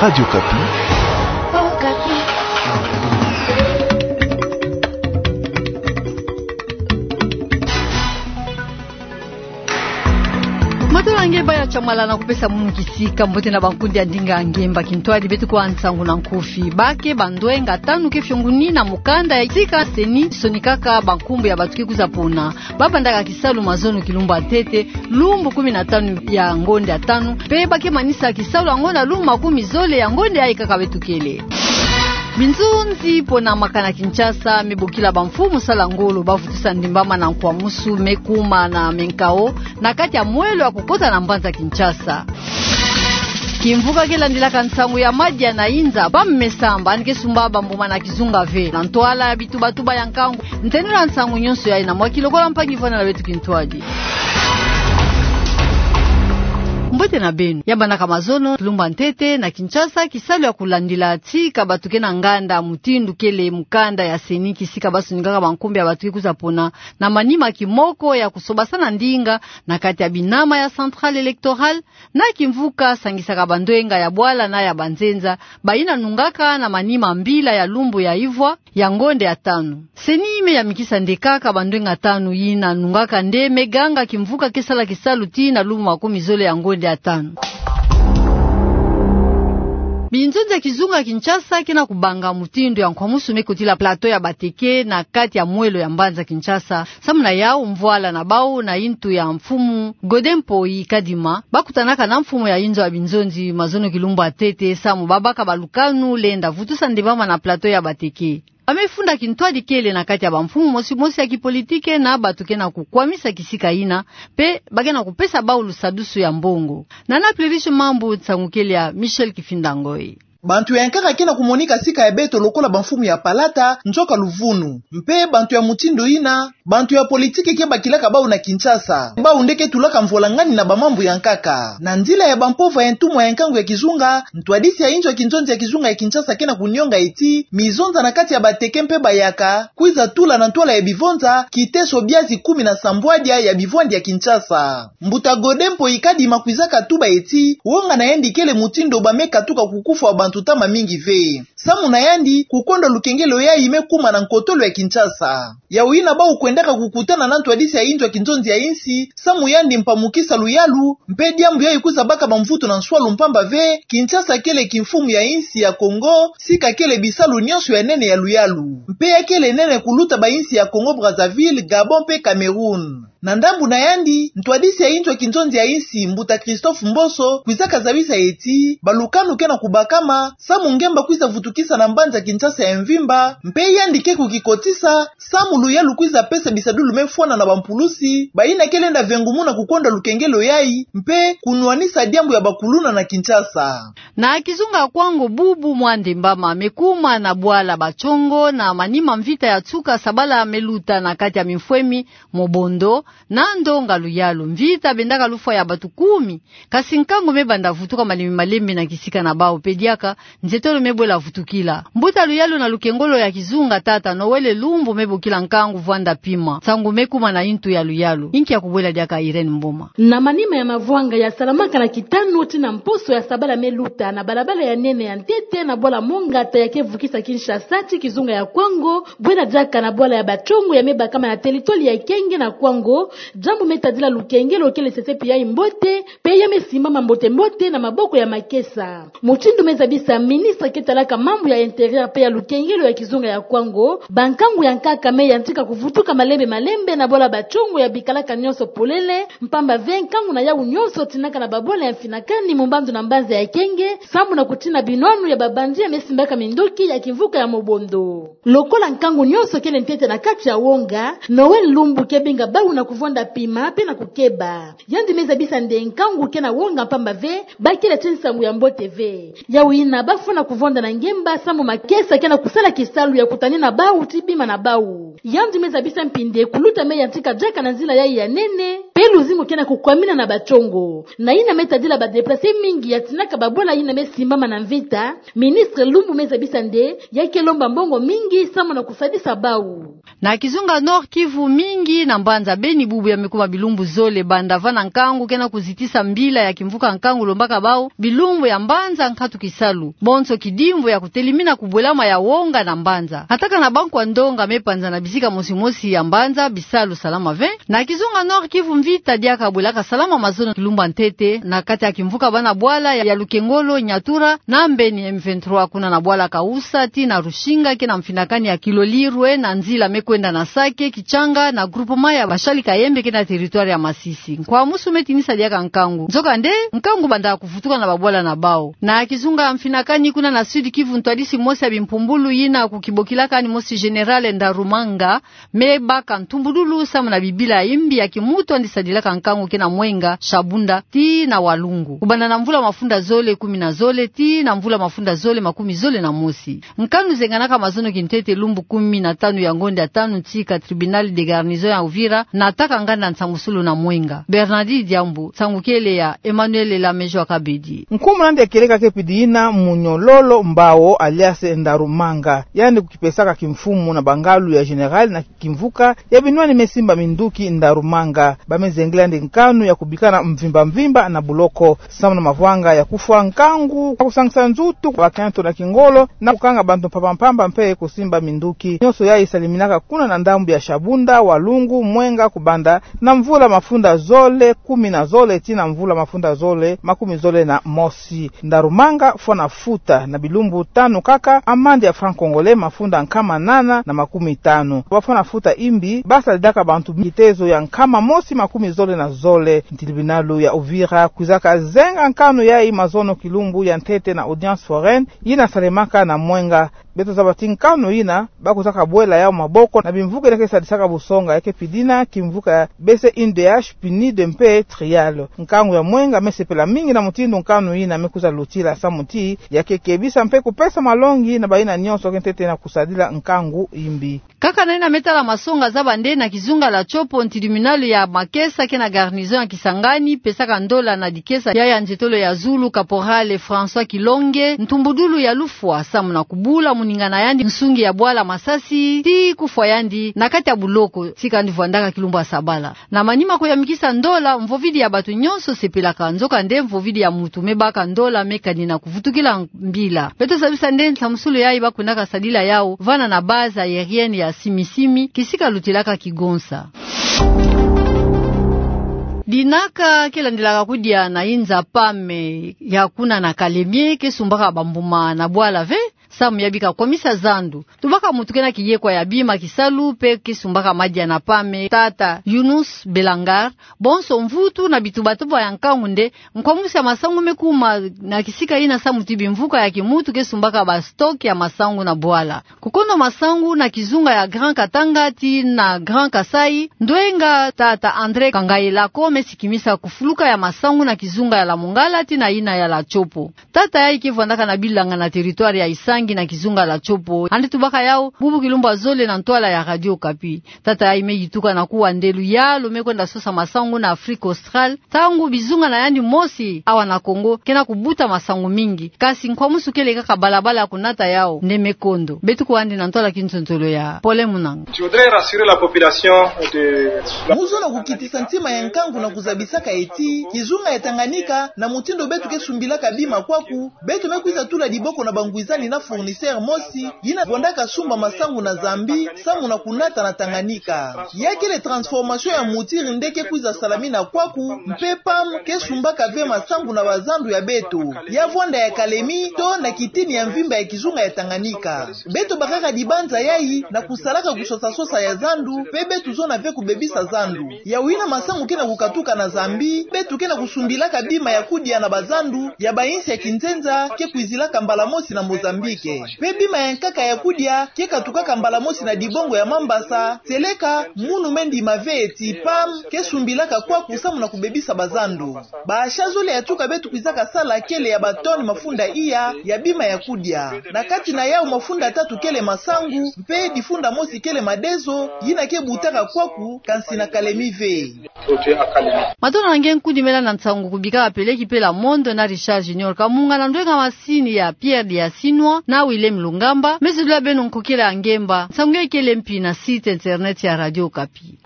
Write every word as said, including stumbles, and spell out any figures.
Radio Okapi. Matondo na nge baya tiamala na kupesa munu kisika. Mbote na bankundi ya ndinga ya nge. Mba kintwadi beto kwa nsangu na nkufi. Bake bandwenga tanu ke fionguni na mukanda ya sika CENI sonikaka bankumbu ya bantu ke kwiza pona. Babandaka kisalu mazono kilumbu ya ntete, lumbu kumi na tanu ya ngonde ya tanu, mpe bake manisa kisalu yango na lumbu makumi zole ya ngonde yayi kaka beto kele. Binzonzi pona maka na Kinshasa me bokila bamfumu sala ngolo bavutusa ndembama na nkwamusu me kuma na menkao na kati ya mwelo ya kukota na mbanza Kinshasa. Kimvuka ke landilaka nsangu ya madia na inza, ba me samba, yandi ke sumba bambuma na kizunga ve. Na ntwala ya bitubatuba ya nkangu, ntenula nsangu nyonso yayi na mwa kilokola mpangi vwanda na beto kintwadi. Mbote na beno. Ya bandaka mazono kilumbu ya ntete na Kinshasa, kisalu ya kulandila tika bantu ke na nganda mutindu kele mukanda ya CENI, kisika basonikaka bankumbu ya bantu ke kwiza pona, na manima kimoko ya kusobasana ndinga na kati ya binama ya Centrale Electorale, na kimvuka sangisaka bandwenga ya bwala na ya banzenza, bayina nungaka na manima mbila ya lumbu ya ivwa ya ngonde ya tanu. CENI me yamikisa nde kaka bandwenga tanu yina nungaka nde me ganga kimvuka ke sala kisalu tii na lumbu makumi zole ya ngonde ya tanu. Binzonzi ya kizunga Kinshasa ke na kubanga mutindu ya nkwamusu me kotila plateau ya Bateke na kati ya mwelo ya mbanza Kinshasa. Samu na yau, mvwala na bau na yintu ya mfumu Godin Mpoyi Kadima, bakutanaka na mfumu ya inzo ya binzonzi mazono kilumbu ya ntete, samu babaka balukanu lenda vutusa ndembama na plateau ya Bateke. Ba me funda kintwadi kele na kati ya bamfumu mosi mosi ya kipolitike na bantu ke na kukwamisa kisika yina, mpe ba ke na kupesa bau lusadusu ya mbongo. Nana Plurish Mambu, nsangu kele ya Michel Kifinda Ngoyi. Bantu ya nkaka ke na kumonika sika ya beto lokola bamfumu ya palata, nzoka luvunu. Mpe bantu ya mutindu yina, bantu ya politiki ke bakilaka bau na Kinshasa. Bau nde ke tulaka mvola ngani na bamambu ya nkaka. Na nzila ya bampova ya ntumwa ya nkangu ya kizunga, ntwadisi ya inzo ya kinzonzi ya kizunga ya Kinshasa ke na kunionga ti, mizonza na kati ya Bateke mpe Bayaka, kwiza tula na ntwala ya bivonza, kiteso biazi kumi na sambwadia ya bivwandi ya Kinshasa. Mbuta Godin Mpoyi Kadima kwizaka tuba ti, wonga na yandi kele mutindu ba me katuka kukufwa bantu ntama mingi ve. Samu na yandi, kukwenda lukengelo yayi me kuma na nkotolo ya Kinshasa. Yau yina bau kwendaka kukutana na ntwadisi ya inzo ya kinzonzi ya insi, samu yandi mpamukisa luyalu, mpe diambu yayi kwiza baka bamvutu na nswalu mpamba ve, Kinshasa kele kimfumu ya insi ya Kongo, sika kele bisalu nyonso ya nene ya luyalu. Mpe ya kele nene kuluta bainsi ya Kongo Brazzaville, Gabon mpe Cameroun. Na ndambu na yandi, ntwadisi ya inzo ya kinzonzi ya insi, mbuta Christophe Mboso, kwizaka zabisa ti, balukanu ke na kubakama, samu ngemba kwiza vutukisa na mbanza Kinshasa ya mvimba, mpe yandi ke kukikotisa, samu luyalu kwiza pesa bisadulu me fwana na bampulusi, bayina ke lenda vengumuna kukwenda lukengelo yayi, mpe kunwanisa diambu ya bakuluna na Kinshasa. Na kizunga Kwango bubu mwa ndembama me kuma na bwala Bacongo na manima mvita ya nsuka sabala me luta na kati ya mimfwemi, Mobondo, na ndonga luyalu. Mvita bendaka lufwa ya bantu kumi. Kasi nkangu me banda vutuka malembe malembe na kisika na bau mpe diaka, nzietolo me bwela vutukila. Mbuta luyalu na lukengolo ya kizunga tata Noël Lumbu me bokila nkangu vwanda pima. Nsangu me kuma na yintu ya luyalu. Inki ya kubwela diaka Irène Mboma. Na manima ya mavwanga ya salamaka na kitanu tii na mposo ya sabala me luta na balabala ya nene ya ntete na bwala Mongata ya ke vukisa Kinshasa tii kizunga ya Kwango, bwela diaka na bwala ya Bacongo ya me bakama na teritwali ya Kenge na Kwango, diambu me tadila lukengelo kele sesepi yayi mbote, mpe ya me simbama mbote mbote na maboko ya makesa. Mutindu me zabisa ministre ke talaka mambu ya intérieur mpe ya lukengelo ya kizunga ya Kwango, bankangu ya nkaka me yantika kuvutuka malembe malembe na bwala Bacongo ya bikalaka nyonso polele, mpamba ve nkangu na yau nyonso tinaka na babwala ya mfinakani mu mbandu na mbanza ya Kenge, samu na kutina binwanu ya babandi ya me simbaka minduki ya kimvuka ya Mobondo. Lokola nkangu nyonso kele ntete na kati ya wonga, Noël Lumbu ke binga bau na kuvwanda pima mpe na kukeba. Yandi me zabisa nde nkangu ke na wonga mpamba ve, ba kele tii nsangu ya mbote ve. Yau yina ba fwana kuvwanda na ngemba samu makesa ke na kusala kisalu ya kutanina bau tii bima na bau. Yandi me zabisa mpi nde kuluta me yantika diaka na nzila yayi ya nene, mpe luzingu ke na kukwamina na Bacongo. Na yina me tadila ba déplacés mingi ya tinaka babwala yina me simbama na mvita, ministre Lumbu me zabisa nde ya ke lomba mbongo mingi samu na kusadisa bau. Na kizunga Nord-Kivu mingi na mbanza Beni Ni bubu ya me kuma bilumbu zole banda vana nkangu kena kuzitisa mbila ya kimvuka nkangu lombaka bau bilumbu ya mbanza nkatu kisalu, bonso kidimbu ya kutelimina kubwelama ya wonga na mbanza. Attaque na bankwa ndonga me panza na bisika mosi mosi ya mbanza, bisalu salama ve. Na kizunga Nord-Kivu, mvita diaka bwelaka salama mazono kilumbu ya ntete na kati ya kimvuka bana bwala ya Lukengolo, Nyatura na Mbeni, M vingt-trois kuna na bwala Kausa tii na Rusinga, kena mfinakani ya Kilolirwe na nzila me kwenda na Sake, Kichanga na groupement ya Bashali Kayembe kena territoire ya Masisi. Nkwamusu me tinisa diaka nkangu. Nzokande, nkangu banda kuvutuka na babwala na bau. Na kizunga mfinakani kuna na Sud-Kivu, ntwadisi mosi ya bimpumbulu yina kukibokilaka ani mosi Général Ndarumanga, me baka ntumbudulu samu na bibila ya imbi ya kimutu yandi sadilaka nkangu kena Mwenga, Shabunda tii na Walungu. Kubanda na mvula mafunda zole kumi na zole tii na mvula mafunda zole makumi zole na mosi, nkanu zenganaka mazono kintete lumbu kumi na tanu ya ngonda ya tanu ntika tribunal de garnison ya Uvira nataka nganda nsamusulu na Mwenga. Bernardine Diambu, nsangu kele ya Emmanuel Lamejo Akabedi. Nkumbu na yandi ya kieleka kepidi yina Munyololo Mbao alias Ndarumanga. Yandi kukipesaka kimfumu na bangalu ya Général na kimvuka ya binwani me simba minduki Ndarumanga. Ba me zengela yandi nkanu ya kubikana mvimba mvimba na buloko samu na mavwanga ya kufwa nkangu, ya kusangisa nzutu, bakento na kingolo, na kukanga bantu mpamba mpamba mpe kusimba minduki. Nyonso yayi saliminaka kuna na ndambu ya Shabunda, Walungu, Mwenga, kubanda na mvula mafunda zole kumi na zole tii na mvula mafunda zole makumi zole na mosi. Ndarumanga fwana futa na bilumbu tanu kaka amande ya franc congolais mafunda nkama nana na makumi tanu. Ba fwana futa imbi ba sadilaka bantu kitezo ya nkama mosi makumi zole na zole. Tribunal ya Uvira kwizaka zenga nkanu yayi mazono kilumbu ya ntete na audience foraine yina salemaka na Mwenga. Beto zaba ti nkanu yina ba kwizaka bwela yau maboko na bimvuka yina ke sadisaka busonga, ya kepidi yina kimvuka ya B C I D H, PNUD mpe TRIAL. Nkangu ya Mwenga me sepela mingi na mutindu nkanu yina me kwiza lutila samu ti ya kekebisa mpe kupesa malongi na bayina nyonso ke ntete na kusadila nkangu imbi. Kaka na yina me tala masonga, zaba nde na kizunga la Tshopo, tribunal ya makesa kena garnison ya Kisangani pesaka ndola na dikesa ya ya nzietolo ya zulu, caporal François Kilonge, ntumbudulu ya lufwa samu na kubula moningana yandi, nsungi ya bwala masasi tii kufwa yandi na kati ya buloko tika yandi vwandaka kilumbu ya sabala. Na manima kuyamikisa ndola, mvovidi ya bato nyonso sepelaka. Nzokande, mvovidi ya mutu me baka ndola me kanina kuvutukila mbila. Beto zabisa nde nsamusulu yayi ba kwendaka sadila yau vana na base aérienne ya Simi-Simi, kisika lutilaka Kigonsa. Dinaka ke landilaka kudia na inza PAM ya kuna na Kalemie ke sumbaka bambuma na bwala ve samu ya bika kwamisa zandu. Tubaka mutu kena kiyekwa ya bima kisalu mpe ke sumbaka madia na PAM, tata Younous Belangar. Bonso mvutu na bitubatuba ya nkangu nde nkwamusi ya masangu me kuma na kisika yina samu ti bimvuka ya kimutu ke sumbaka ba stock ya masangu na bwala. Kukono masangu na kizunga ya Grand Katanga tii na Grand Kasaï, ndwenga tata André Kangayelako me sikimisa kufuluka ya masangu na kizunga ya la Mongala tii na yina ya la Tshopo. Tata yayi ke vwandaka na bilanga na territoire ya Isangi na kizunga la Tshopo. Yandi tubaka yau bubu kilumbu ya zole na ntwala ya Radio Okapi. Tata yayi me yituka na kuwa nde luyalu me kwenda sosa masangu na Afrique australe, ntangu bizunga na yandi mosi awa na Congo kena kubuta masangu mingi. Kasi nkwamusu kele kaka balabala ya kunata yau nde me kondo. Beto kuwa yandi na ntwala ya kintontolo ya Pole Munanga. Je voudrais rassurer la population de... Mu zola kukitisa ntima ya nkangu na kuzabisaka ye ti kizunga ya Tanganyika, na mutindu beto ke sumbilaka bima kwaku, beto me kwiza tula diboko na bangwizani na fournisseur mosi yina vwandaka sumba masangu na Zambie samu na kunata na Tanganyika. Ya kele transformation ya mutiri nde ke kwiza salamina kwaku, mpe PAM ke sumbaka ve masangu na bazandu ya beto ya vwanda ya Kalemie to na kitini ya mvimba ya kizunga ya Tanganyika. Beto bakaka dibanza yayi na kusalaka kusosa-sosa ya zandu, mpe beto zona ve kubebisa zandu. Yau yina masangu kena kukatuka na Zambie, beto kena kusumbilaka bima ya kudia na bazandu ya bayinsi ya kinzenza ke kwizilaka mbala mosi na Mozambique. Mpe bima ya nkaka ya kudia ke katukaka mbala mosi na dibongo ya Mambasa, seleka munu me ndima ve ti PAM ke sumbilaka kwaku samu na kubebisa bazandu. Ba achats zole ya tuka beto kwizaka sala kele ya ba tonnes mafunda iya ya bima ya kudia. Na kati na yau mafunda tatu kele masangu, mpe difunda mosi kele madezo, yina ke butaka kwaku, kansi na Kalemie ve. Matondo na nge nkudi me landa nsangu kubika peleki pela mondo na Richard Junior Kamunga na ndwenga masini ya Pierre Diasinwa na Willem Lungamba, me zolula beno nkokila ya ngemba. Nsangu yayi kele mpi na site internet ya Radio Okapi.